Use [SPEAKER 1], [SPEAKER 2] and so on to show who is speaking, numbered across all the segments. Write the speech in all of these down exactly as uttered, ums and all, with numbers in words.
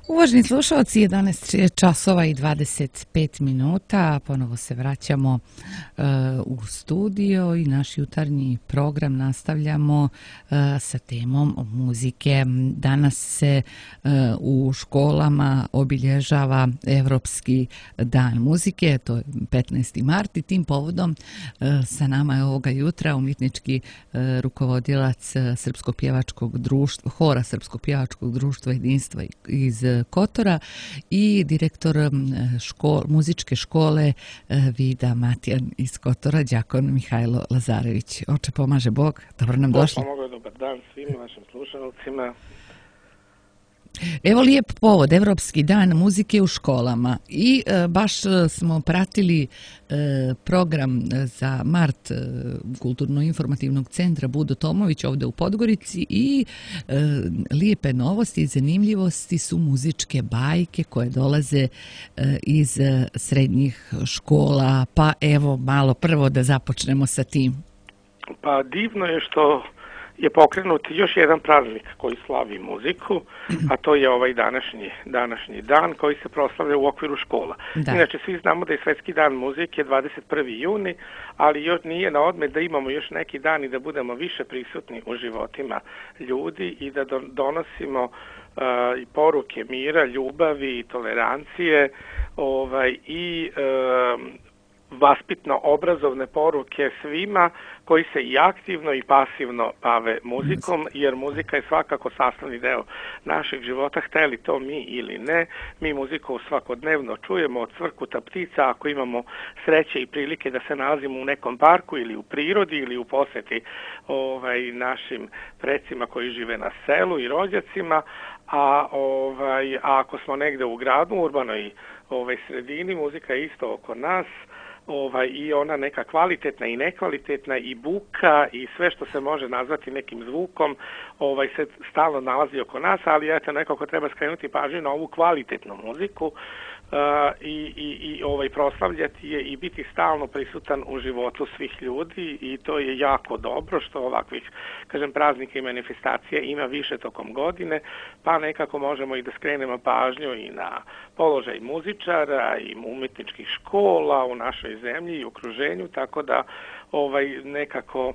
[SPEAKER 1] Uvaženi slušalci, jedanaest časova i dvadeset pet minuta, ponovo se vraćamo uh, u studio i naš jutarnji program nastavljamo uh, sa temom muzike. Danas se uh, u školama obilježava Evropski dan muzike, to je petnaesti mart i tim povodom uh, sa nama je ovoga jutra umjetnički uh, rukovodilac Srpsko-pjevačkog društva, hora Srpsko-pjevačkog društva jedinstva iz Kotora i direktor škol, muzičke škole Vida Matijan iz Kotora, đakon Mihajlo Lazarević. Oče, pomaže Bog, dobro nam došli.
[SPEAKER 2] Pomogao, dobar dan svim vašim slušalcima.
[SPEAKER 1] Evo lijep povod, Evropski dan muzike u školama i e, baš smo pratili e, program za mart e, Kulturno-informativnog centra Budo Tomović ovdje u Podgorici i e, lijepe novosti i zanimljivosti su muzičke bajke koje dolaze e, iz e, srednjih škola, pa evo malo prvo da započnemo sa tim.
[SPEAKER 2] Pa divno je što je pokrenut još jedan praznik koji slavi muziku, a to je ovaj današnji, današnji dan koji se proslavlja u okviru škola. Da. Inače, svi znamo da je Svetski dan muzike dvadeset prvi juni, ali još nije na odmet da imamo još neki dan i da budemo više prisutni u životima ljudi i da donosimo uh, poruke mira, ljubavi i tolerancije ovaj, i uh, vaspitno-obrazovne poruke svima koji se i aktivno i pasivno bave muzikom, jer muzika je svakako sastavni deo našeg života, hteli to mi ili ne. Mi muziku svakodnevno čujemo od cvrkuta ptica, ako imamo sreće i prilike da se nalazimo u nekom parku ili u prirodi ili u posjeti ovaj, našim precima koji žive na selu i rođacima, a, ovaj, a ako smo negde u gradu, u urbanoj ovaj, sredini, muzika je isto oko nas. Ovaj, i ona neka kvalitetna i nekvalitetna i buka i sve što se može nazvati nekim zvukom ovaj, se stalno nalazi oko nas, ali eto nekako treba skrenuti pažnju na ovu kvalitetnu muziku uh, i, i, i ovaj, proslavljati je i biti stalno prisutan u životu svih ljudi i to je jako dobro što ovakvih, kažem, praznika i manifestacija ima više tokom godine, pa nekako možemo i da skrenemo pažnju i na položaj muzičara i umjetničkih škola u našoj zemlji i okruženju, tako da ovaj nekako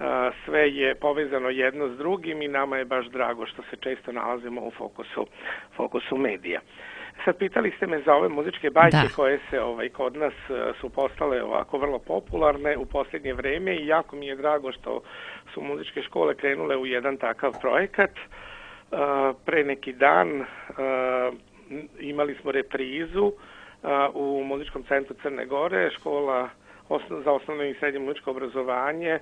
[SPEAKER 2] a, sve je povezano jedno s drugim i nama je baš drago što se često nalazimo u fokusu, fokusu medija. Sad pitali ste me za ove muzičke bajke da. koje se ovaj kod nas su postale ovako vrlo popularne u posljednje vrijeme i jako mi je drago što su muzičke škole krenule u jedan takav projekat. A, pre neki dan a, imali smo reprizu uh, u muzičkom centru Crne Gore, škola osno, za osnovno i srednje muzičko obrazovanje.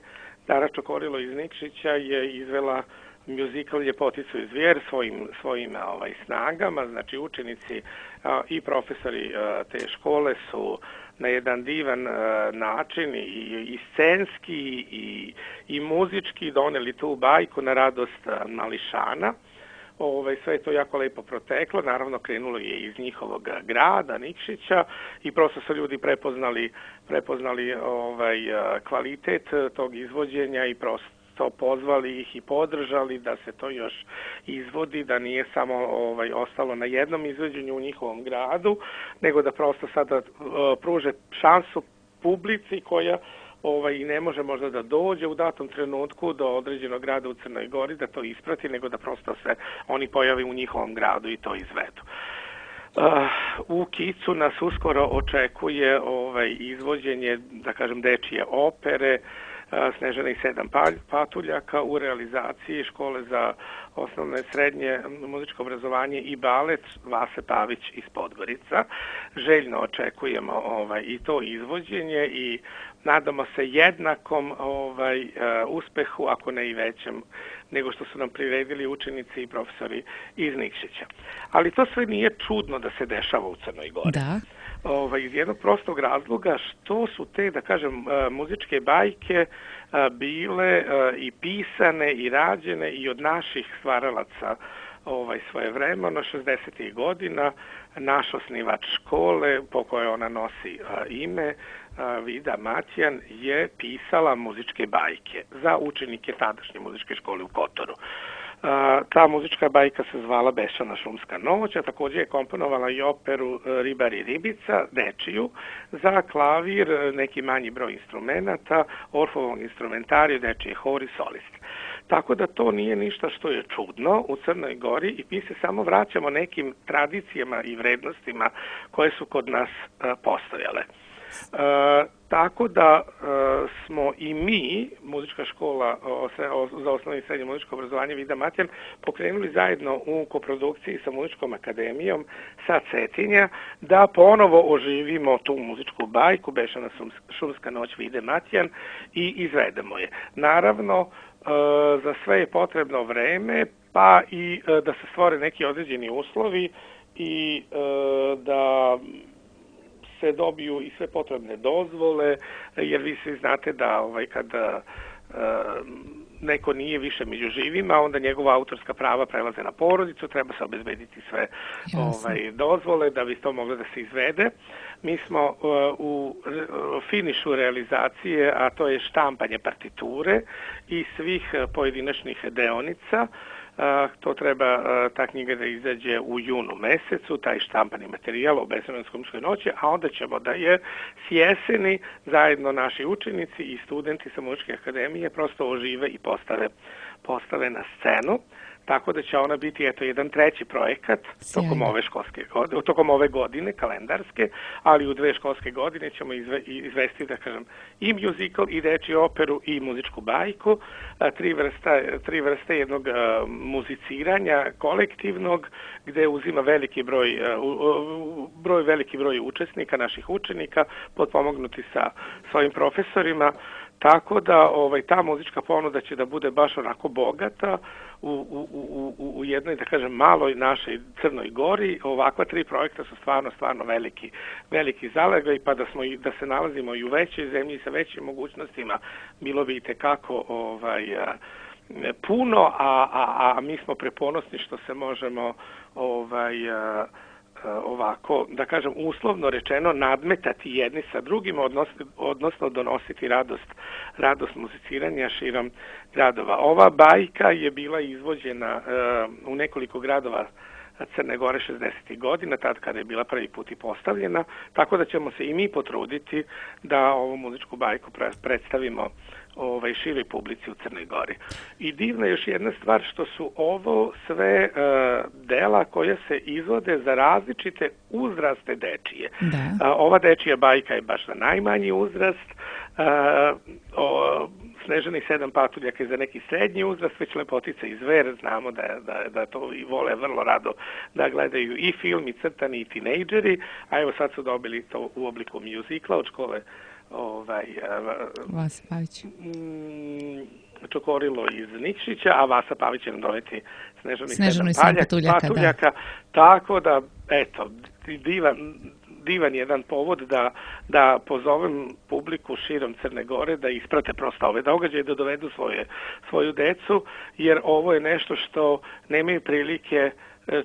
[SPEAKER 2] Dara Čokorilo iz Nikšića je izvela muzikal Ljepoticu i zvijer svojim, svojim ovaj, snagama, znači učenici uh, i profesori uh, te škole su na jedan divan uh, način i, i scenski i, i muzički doneli tu bajku na radost uh, mališana. Ove, sve je to jako lepo proteklo, naravno krenulo je iz njihovog grada, Nikšića i prosto su ljudi prepoznali, prepoznali ovaj, kvalitet tog izvođenja i prosto pozvali ih i podržali da se to još izvodi, da nije samo ovaj, ostalo na jednom izvođenju u njihovom gradu, nego da prosto sada uh, pruže šansu publici koja ovaj, i ne može možda da dođe u datom trenutku do određenog grada u Crnoj Gori da to isprati, nego da prosto se oni pojavi u njihovom gradu i to izvedu. Uh, u Kicu nas uskoro očekuje ovaj, izvođenje, da kažem, dečije opere uh, Snežana i sedam patuljaka u realizaciji škole za osnovno i srednje muzičko obrazovanje i balet Vase Pavić iz Podgorica. Željno očekujemo ovaj, i to izvođenje i nadamo se jednakom ovaj, uh, uspehu, ako ne i većem, nego što su nam priredili učenici i profesori iz Nikšića. Ali to sve nije čudno da se dešava u Crnoj Gori.
[SPEAKER 1] Da.
[SPEAKER 2] Ovaj, iz jednog prostog razloga što su te, da kažem, uh, muzičke bajke uh, bile uh, i pisane i rađene i od naših stvaralaca ovaj, svoje vremeno, šezdesetih godina, naš osnivač škole, po kojoj ona nosi a, ime, a, Vida Matijan, je pisala muzičke bajke za učenike tadašnje muzičke škole u Kotoru. Ta muzička bajka se zvala Bešćana šumska noć, a također je komponovala i operu Ribar i ribica, dečiju, za klavir, neki manji broj instrumenata, Orfovog instrumentariju, dečiji hor i solist. Tako da to nije ništa što je čudno u Crnoj Gori i mi se samo vraćamo nekim tradicijama i vrednostima koje su kod nas postojale. E, tako da e, smo i mi, muzička škola o, o, za osnovno i srednje muzičko obrazovanje Vida Matjan, pokrenuli zajedno u koprodukciji sa Muzičkom akademijom sa Cetinja da ponovo oživimo tu muzičku bajku Bešćana šumska noć Vide Matjan i izvedemo je. Naravno, e, za sve je potrebno vreme, pa i e, da se stvore neki određeni uslovi i e, da se dobiju i sve potrebne dozvole, jer vi svi znate da ovaj, kada e, neko nije više među živima, onda njegova autorska prava prelaze na porodicu, treba se obezbediti sve ovaj, dozvole da bi to moglo da se izvede. Mi smo uh, u uh, finišu realizacije, a to je štampanje partiture i svih uh, pojedinačnih deonica. Uh, to treba uh, ta knjiga da izađe u junu mesecu, taj štampani materijal o Bešćanskoj šumskoj noći, a onda ćemo da je s jeseni zajedno naši učenici i studenti sa Muzičke akademije prosto ožive i postave, postave na scenu. Tako da će ona biti eto jedan treći projekat tokom ove školske godine, tokom ove godine kalendarske, ali u dve školske godine ćemo izve, izvesti da kažem i musical i dečju operu i muzičku bajku, tri vrste tri vrste jednog a, muziciranja kolektivnog gde uzima veliki broj a, u, broj veliki broj učesnika, naših učenika, potpomognuti sa svojim profesorima. Tako da ovaj ta muzička ponuda će da bude baš onako bogata u, u, u, u jednoj, da kažem, maloj našoj Crnoj Gori. Ovakva tri projekta su stvarno, stvarno veliki, veliki zalegaj, pa da, smo, da se nalazimo i u većoj zemlji sa većim mogućnostima, bilo bi itekako ovaj, puno, a, a, a mi smo preponosni što se možemo ovaj, ovako, da kažem, uslovno rečeno nadmetati jedni sa drugim, odnosno, odnosno donositi radost, radost muziciranja širom gradova. Ova bajka je bila izvođena uh, u nekoliko gradova Crne Gore šezdesetih godina, tad kada je bila prvi put i postavljena, tako da ćemo se i mi potruditi da ovu muzičku bajku predstavimo ovaj, široj publici u Crnoj Gori. I divna je još jedna stvar što su ovo sve uh, dela koje se izvode za različite uzraste dečije. Da. Uh, ova dečija bajka je baš za najmanji uzrast, uh, o, Snežani sedam patuljaka je za neki srednji uzrast, već Lepotica i zver, znamo da, da, da to i vole vrlo rado da gledaju i film, i crtani, i tinejdžeri, a evo sad su dobili to u obliku mjuzikla od škole ovaj,
[SPEAKER 1] Vasa Pavić.
[SPEAKER 2] Čokorilo iz Nikšića, a Vasa Pavić će nam doneti Snežani,
[SPEAKER 1] Snežani
[SPEAKER 2] sedam
[SPEAKER 1] patuljaka,
[SPEAKER 2] patuljaka, da. Tako da, eto, divan, divan jedan povod da, da pozovem publiku širom Crne Gore da isprate prosto ove događaje, da dovedu svoje, svoju decu, jer ovo je nešto što nemaju prilike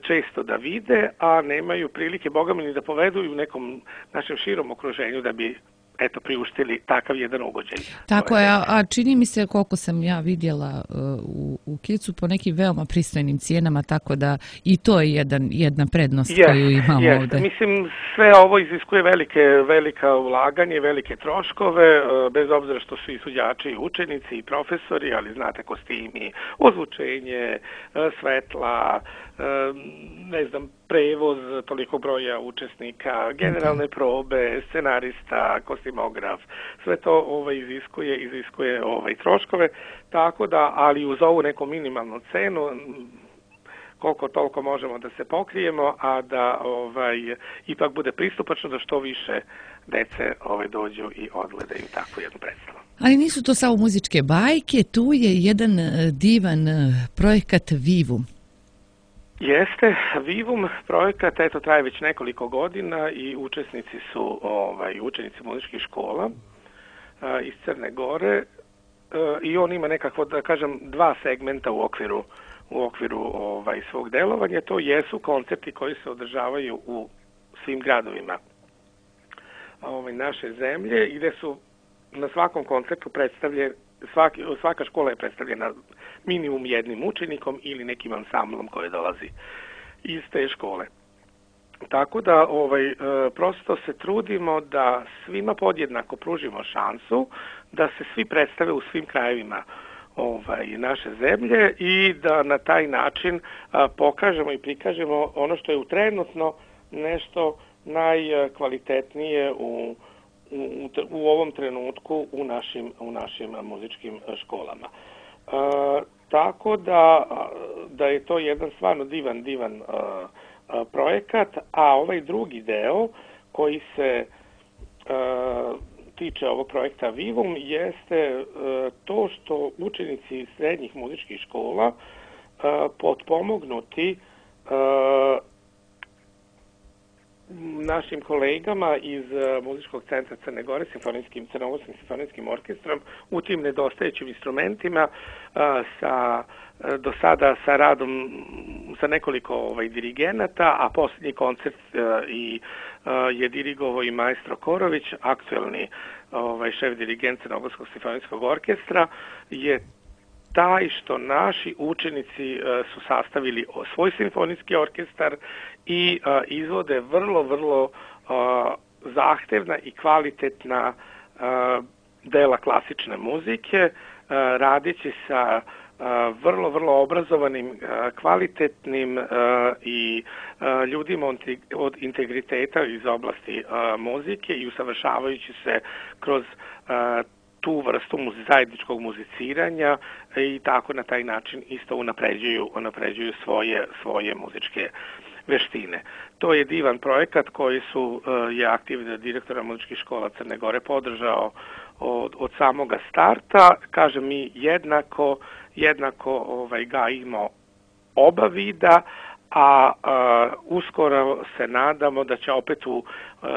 [SPEAKER 2] često da vide, a nemaju prilike, boga mi, ni da povedu i u nekom našem širom okruženju da bi eto priuštili takav jedan ugođaj.
[SPEAKER 1] Tako je, a, a čini mi se koliko sam ja vidjela uh, u, u Kicu po nekim veoma pristojnim cijenama, tako da i to je jedan, jedna prednost yes, koju imamo yes. ovdje.
[SPEAKER 2] Mislim, sve ovo iziskuje velike, velika ulaganje, velike troškove, uh, bez obzira što su i suđači, i učenici, i profesori, ali znate, kostimi, ozvučenje, uh, svetla, uh, ne znam, prevoz toliko broja učesnika, generalne probe, scenarista, kostimograf, sve to ovaj iziskuje, iziskuje ovaj troškove, tako da, ali uz ovu neku minimalnu cenu, koliko toliko možemo da se pokrijemo, a da ovaj ipak bude pristupačno da što više dece ovaj dođu i odgledaju takvu jednu predstavu.
[SPEAKER 1] Ali nisu to samo muzičke bajke, tu je jedan divan projekat Vivum.
[SPEAKER 2] Jeste, Vivum projekat, eto, traje već nekoliko godina i učesnici su ovaj, učenici muzičkih škola a, iz Crne Gore a, i on ima nekako, da kažem, dva segmenta u okviru, u okviru ovaj, svog delovanja. To jesu koncerti koji se održavaju u svim gradovima ovaj, naše zemlje i gde su na svakom koncertu predstavlje, svaki, svaka škola je predstavljena minimum jednim učenikom ili nekim ansamblom koji dolazi iz te škole. Tako da ovaj, prosto se trudimo da svima podjednako pružimo šansu da se svi predstave u svim krajevima ovaj, naše zemlje i da na taj način a, pokažemo i prikažemo ono što je u trenutno nešto najkvalitetnije u, u, u ovom trenutku u našim, u našim muzičkim školama. A, tako da, da je to jedan stvarno divan, divan a, a, projekat, a ovaj drugi deo koji se a, tiče ovog projekta Vivum jeste uh, to što učenici srednjih muzičkih škola uh, potpomognuti uh, našim kolegama iz uh, Muzičkog centra Crne Gore, simfonijskim, crnogorskim simfonijskim orkestrom, u tim nedostajećim instrumentima uh, sa uh, do sada sa radom sa nekoliko ovaj, dirigenata, a posljednji koncert uh, i uh, je dirigovao i maestro Korović, aktuelni ovaj, šef dirigent Crnogorskog simfonijskog orkestra, je taj što naši učenici uh, su sastavili svoj simfonijski orkestar i uh, izvode vrlo, vrlo uh, zahtevna i kvalitetna uh, dela klasične muzike, uh, radeći sa uh, vrlo, vrlo obrazovanim, uh, kvalitetnim uh, i uh, ljudima od integriteta iz oblasti uh, muzike i usavršavajući se kroz uh, tu vrstu zajedničkog muziciranja i tako na taj način isto unapređuju, unapređuju svoje, svoje muzičke veštine. To je divan projekat koji su uh, je aktivni direktora muzičkih škola Crne Gore podržao od, od samoga starta. Kažem, mi jednako, jednako ovaj, gajimo oba vida, a uh, uskoro se nadamo da će opet u, uh,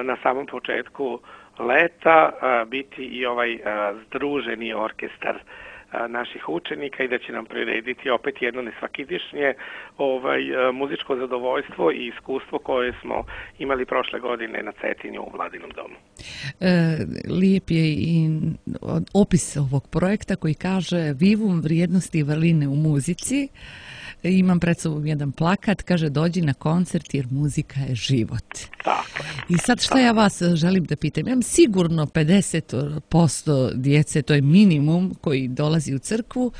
[SPEAKER 2] na samom početku leta a, biti i ovaj a, združeni orkestar a, naših učenika i da će nam prirediti opet jedno nesvakidišnje ovaj, a, muzičko zadovoljstvo i iskustvo koje smo imali prošle godine na Cetinju u Vladinom domu.
[SPEAKER 1] E, lijep je i opis ovog projekta koji kaže Vivum vrijednosti i vrline u muzici. Imam pred sobom jedan plakat, kaže dođi na koncert jer muzika je život.
[SPEAKER 2] Tako je.
[SPEAKER 1] I sad šta ja vas želim da pitam? Imam sigurno pedeset posto djece, to je minimum koji dolazi u crkvu,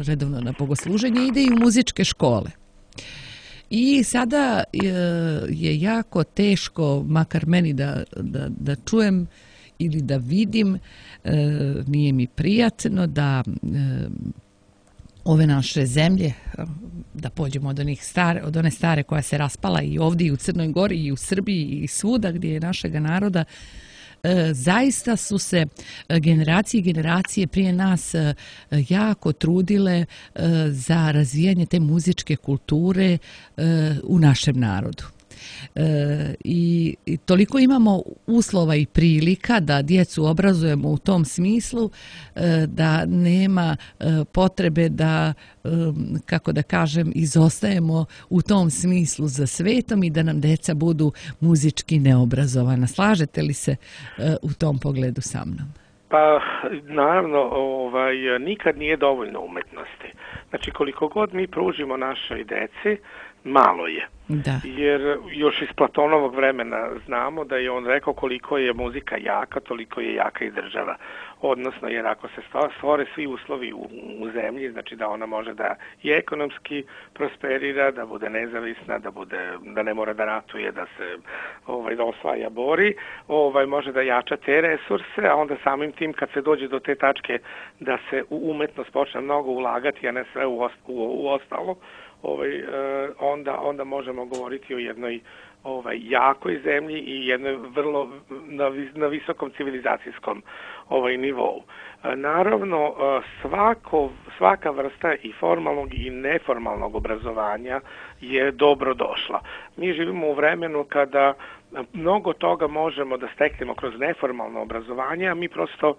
[SPEAKER 1] redovno na bogosluženje, ide i u muzičke škole. I sada je jako teško, makar meni da, da, da čujem ili da vidim, nije mi prijatno da ove naše zemlje, da pođemo od, onih stare, od one stare koja se raspala i ovdje i u Crnoj Gori i u Srbiji i svuda gdje je našega naroda, zaista su se generacije i generacije prije nas jako trudile za razvijanje te muzičke kulture u našem narodu. E, i, i toliko imamo uslova i prilika da djecu obrazujemo u tom smislu e, da nema e, potrebe da, e, kako da kažem, izostajemo u tom smislu za svetom i da nam djeca budu muzički neobrazovana. Slažete li se e, u tom pogledu sa mnom?
[SPEAKER 2] Pa, naravno, ovaj, nikad nije dovoljno umetnosti. Znači, koliko god mi pružimo našoj deci, malo je.
[SPEAKER 1] Da.
[SPEAKER 2] Jer još iz Platonovog vremena znamo da je on rekao koliko je muzika jaka, toliko je jaka i država. Odnosno, jer ako se stvore svi uslovi u, u zemlji, znači da ona može da i ekonomski prosperira, da bude nezavisna, da bude, da ne mora da ratuje, da se ovaj, da osvaja bori, ovaj, može da jača te resurse, a onda samim tim kad se dođe do te tačke da se u umetnost počne mnogo ulagati, a ne sve u, ost, u, u ostalo, ovaj, onda, onda možemo govoriti o jednoj ovaj, jakoj zemlji i jednoj vrlo na, na visokom civilizacijskom ovaj, nivou. Naravno, svako, svaka vrsta i formalnog i neformalnog obrazovanja je dobro došla. Mi živimo u vremenu kada mnogo toga možemo da steknemo kroz neformalno obrazovanje, a mi prosto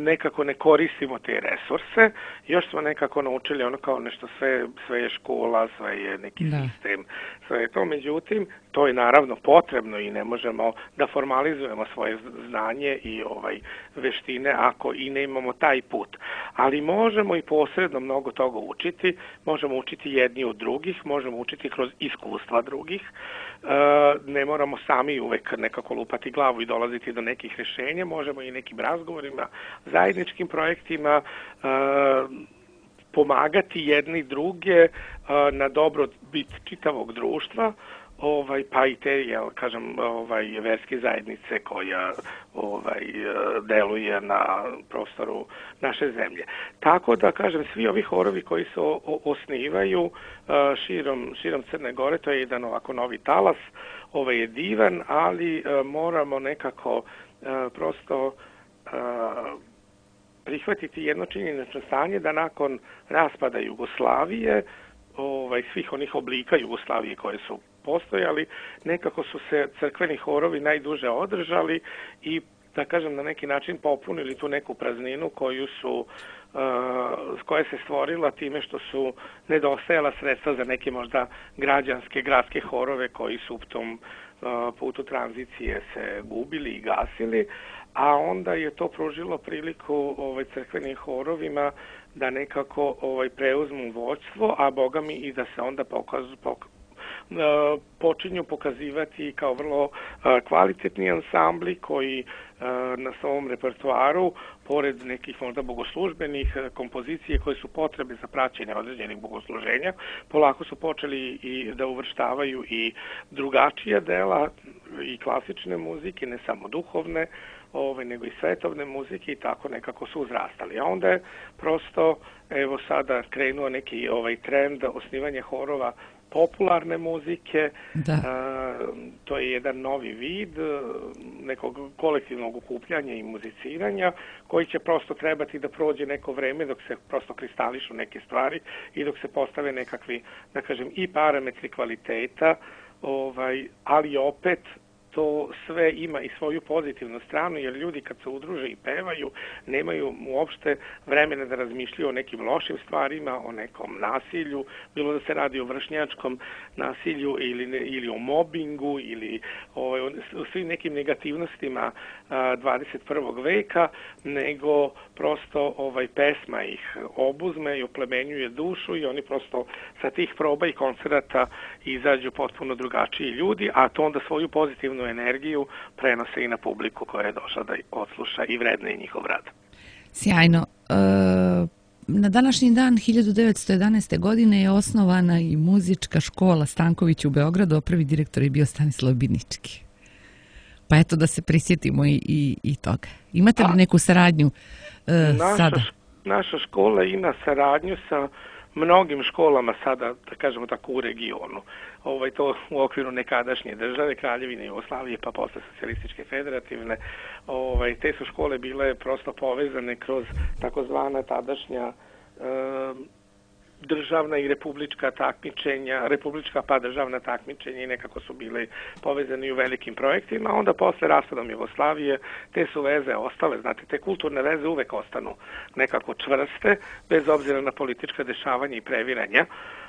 [SPEAKER 2] nekako ne koristimo te resurse. Još smo nekako naučili ono kao nešto sve, sve je škola, sve je neki da. sistem, sve to. Međutim, to je naravno potrebno i ne možemo da formalizujemo svoje znanje i ovaj veštine ako i ne imamo taj put. Ali možemo i posredno mnogo toga učiti, možemo učiti jedni od drugih, možemo učiti kroz iskustva drugih, ne moramo sami uvek nekako lupati glavu i dolaziti do nekih rješenja, možemo i nekim razgovorima, zajedničkim projektima pomagati jedni druge na dobrobit čitavog društva, ovaj pa i te, jel kažem, ovaj verske zajednice koja ovaj deluje na prostoru naše zemlje. Tako da kažem, svi ovi horovi koji se osnivaju širom širom Crne Gore, to je jedan ovako novi talas, ovaj je divan, ali moramo nekako prosto prihvatiti jedno činjenično stanje da nakon raspada Jugoslavije, ovaj svih onih oblika Jugoslavije koje su postojali, nekako su se crkveni horovi najduže održali i, da kažem, na neki način popunili tu neku prazninu koju su, uh, koja se stvorila time što su nedostajala sredstva za neke možda građanske, gradske horove koji su u tom uh, putu tranzicije se gubili i gasili, a onda je to pružilo priliku ovaj crkvenim horovima da nekako ovaj preuzmu vođstvo, a boga mi i da se onda pokažu pok počinju pokazivati kao vrlo kvalitetni ansambli koji na svom repertoaru, pored nekih možda bogoslužbenih kompozicije koje su potrebe za praćenje određenih bogosluženja, polako su počeli i da uvrštavaju i drugačija dela i klasične muzike, ne samo duhovne, Ove, nego i svetovne muzike i tako nekako su uzrastali. A onda je prosto, evo sada krenuo neki ovaj trend osnivanja horova popularne muzike,
[SPEAKER 1] da.
[SPEAKER 2] A, to je jedan novi vid nekog kolektivnog okupljanja i muziciranja koji će prosto trebati da prođe neko vreme dok se prosto kristališu neke stvari i dok se postave nekakvi, da kažem, i parametri kvaliteta, ovaj, ali opet to sve ima i svoju pozitivnu stranu, jer ljudi kad se udruže i pevaju, nemaju uopšte vremena da razmišljaju o nekim lošim stvarima, o nekom nasilju, bilo da se radi o vršnjačkom nasilju ili, ili o mobingu ili o, o svim nekim negativnostima a, dvadeset prvog veka, nego prosto ovaj pesma ih obuzme i oplemenjuje dušu i oni prosto sa tih proba i koncerata izađu potpuno drugačiji ljudi, a to onda svoju pozitivnu energiju prenose i na publiku koja je došla da odsluša i vredne njihov rad.
[SPEAKER 1] Sjajno. E, na današnji dan hiljadu devetsto jedanaeste. godine je osnovana i muzička škola Stanković u Beogradu, a prvi direktor je bio Stanislav Binički. Pa eto da se prisjetimo i, i, i toga. Imate li neku saradnju e,
[SPEAKER 2] naša,
[SPEAKER 1] sada?
[SPEAKER 2] Naša škola ima saradnju sa mnogim školama sada, da kažemo tako, u regionu. Ovaj, to u okviru nekadašnje države, Kraljevine Jugoslavije, pa posle socijalističke federativne. Ovaj, te su škole bile prosto povezane kroz takozvana tadašnja e, državna i republička takmičenja, republička pa državna takmičenja i nekako su bile povezani u velikim projektima. Onda posle raspadom Jugoslavije te su veze ostale, znate, te kulturne veze uvek ostanu nekako čvrste, bez obzira na politička dešavanja i previranja.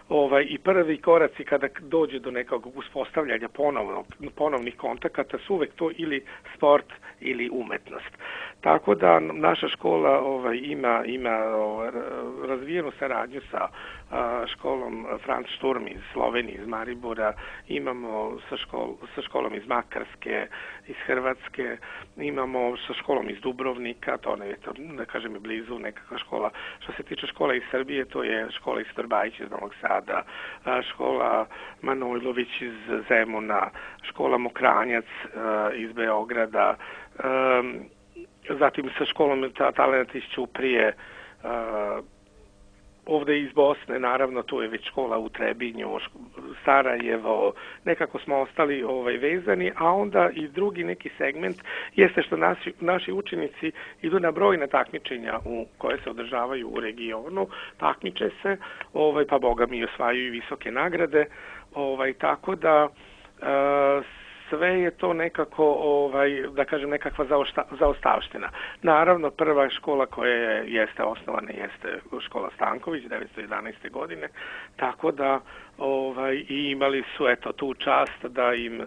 [SPEAKER 2] Ovaj, i prvi koraci kada dođe do nekog uspostavljanja ponovnog, ponovnih kontakata su uvek to ili sport ili umetnost. Tako da naša škola ovaj, ima, ima ovaj, razvijenu saradnju sa a, školom Franz Sturm iz Slovenije, iz Maribora, imamo sa, škol, sa školom iz Makarske, iz Hrvatske, imamo sa školom iz Dubrovnika, to ne je, to, da kažem, je blizu nekakva škola. Što se tiče škola iz Srbije, to je škola iz Trbajić iz Novog Sada, a, škola Manojlović iz Zemuna, škola Mokranjac a, iz Beograda, a, zatim sa školom talenata iz Ćuprije, a, ovde iz Bosne, naravno, tu je već škola u Trebinju, Sarajevo, nekako smo ostali ovaj, vezani, a onda i drugi neki segment jeste što naši, naši učenici idu na brojna takmičenja u, koje se održavaju u regionu, takmiče se, ovaj, pa boga mi osvajaju visoke nagrade, ovaj, tako da e, s sve je to nekako, ovaj, da kažem, nekakva zaosta, zaostavština. Naravno, prva škola koja je, jeste osnovana jeste škola Stanković devetsto jedanaeste. godine, tako da ovaj, i imali su eto tu čast da im uh,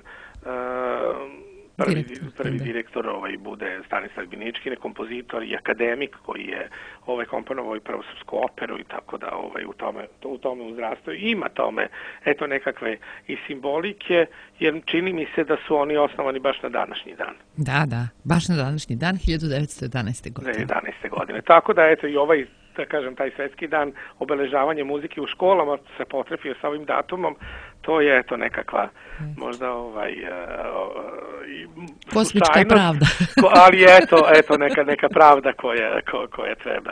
[SPEAKER 2] prvi direktor, prvi direktor ovaj, bude Stanislav Binički, kompozitor i akademik koji je ovaj, komponovao i prvu srpsku operu i tako da ovaj, u tome, to, u tome uzrastao. Ima tome eto nekakve i simbolike, jer čini mi se da su oni osnovani baš na današnji dan.
[SPEAKER 1] Da, da, baš na današnji dan, hiljadu devetsto jedanaeste. godine.
[SPEAKER 2] jedanaeste. godine. Tako da eto i ovaj, da kažem, taj svetski dan obeležavanje muzike u školama se potrefio sa ovim datumom, to je eto nekakva možda ovaj uh,
[SPEAKER 1] kosmička pravda.
[SPEAKER 2] Ali eto, eto neka, neka pravda koja, ko, koja treba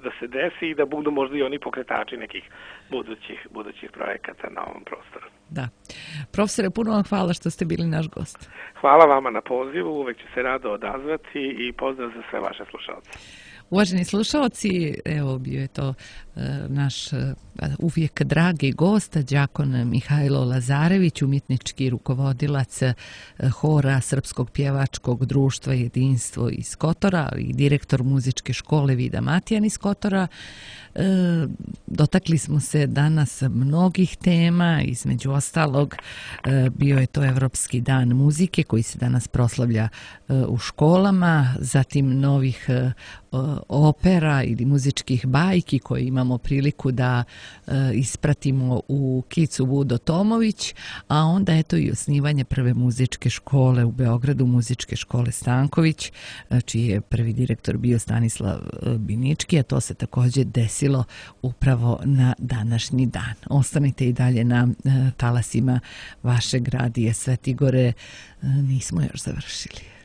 [SPEAKER 2] da se desi i da budu možda i oni pokretači nekih budućih, budućih projekata na ovom prostoru.
[SPEAKER 1] Da. Profesore, puno vam hvala što ste bili naš gost.
[SPEAKER 2] Hvala vama na pozivu, uvek ću se rado odazvati i pozdrav za sve vaše slušalce.
[SPEAKER 1] Uvaženi slušalci, evo bio je to e, naš e, uvijek dragi gost, đakon Mihajlo Lazarević, umjetnički rukovodilac e, hora Srpskog pjevačkog društva Jedinstvo iz Kotora i direktor muzičke škole Vida Matijan iz Kotora. E, dotakli smo se danas mnogih tema, između ostalog e, bio je to Evropski dan muzike koji se danas proslavlja e, u školama, zatim novih e, opera ili muzičkih bajki koje imamo priliku da e, ispratimo u Kicu Vudo Tomović, a onda eto i osnivanje prve muzičke škole u Beogradu, muzičke škole Stanković, čiji je prvi direktor bio Stanislav Binički, a to se također desilo upravo na današnji dan. Ostanite i dalje na e, talasima vašeg radija Svetigore, e, nismo još završili.